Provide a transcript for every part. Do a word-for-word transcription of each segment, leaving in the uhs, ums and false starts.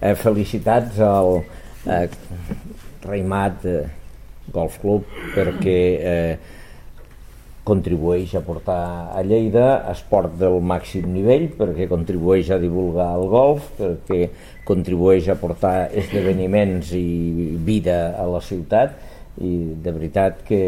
eh, felicitats al eh, Raimat eh, Golf Club perquè eh, contribueix a portar a Lleida esport del màxim nivell, perquè contribueix a divulgar el golf, perquè contribueix a portar esdeveniments i vida a la ciutat, i de veritat que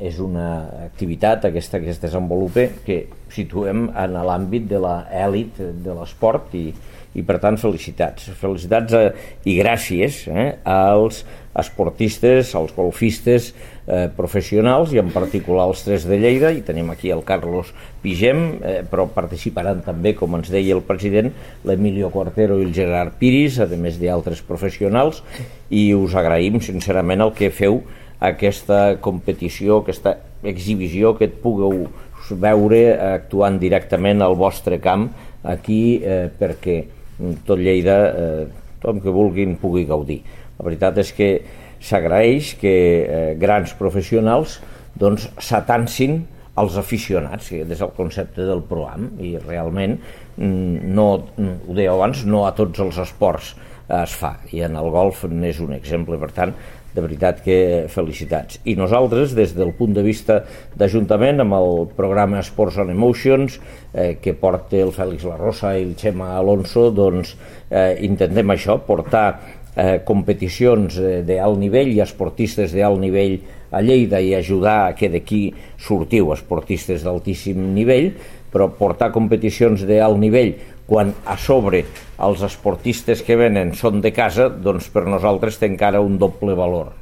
és una activitat aquesta que es desenvolupa que situem en l'àmbit de l'elit de l'esport i, i per tant felicitats felicitats a, i gràcies eh, als esportistes, als golfistes eh, professionals i en particular els tres de Lleida, i tenim aquí el Carlos Pigem, eh, però participaran també, com ens deia el president, l'Emilio Cuartero i el Gerard Piris, a més d'altres professionals, i us agraïm sincerament el que feu aquesta competició, aquesta exhibició, que et pugueu veure actuant directament al vostre camp aquí eh, perquè tot Lleida, eh, tothom que vulguin pugui gaudir. La veritat és que s'agraeix que eh, grans professionals doncs s'atansin als aficionats, que és el concepte del Pro-Am, i realment no, ho deia abans, no a tots els esports es fa, i en el golf n'és un exemple. Per tant, de veritat que felicitats. I nosaltres, des del punt de vista d'Ajuntament, amb el programa Sports and Emotions, eh, que porta el Fèlix La Rosa i el Xema Alonso, doncs eh, intentem això, portar eh, competicions eh, d'alt nivell i esportistes d'alt nivell a Lleida i ajudar a que d'aquí sortiu esportistes d'altíssim nivell, però portar competicions d'alt nivell quan a sobre els esportistes que venen són de casa, doncs per nosaltres té encara un doble valor.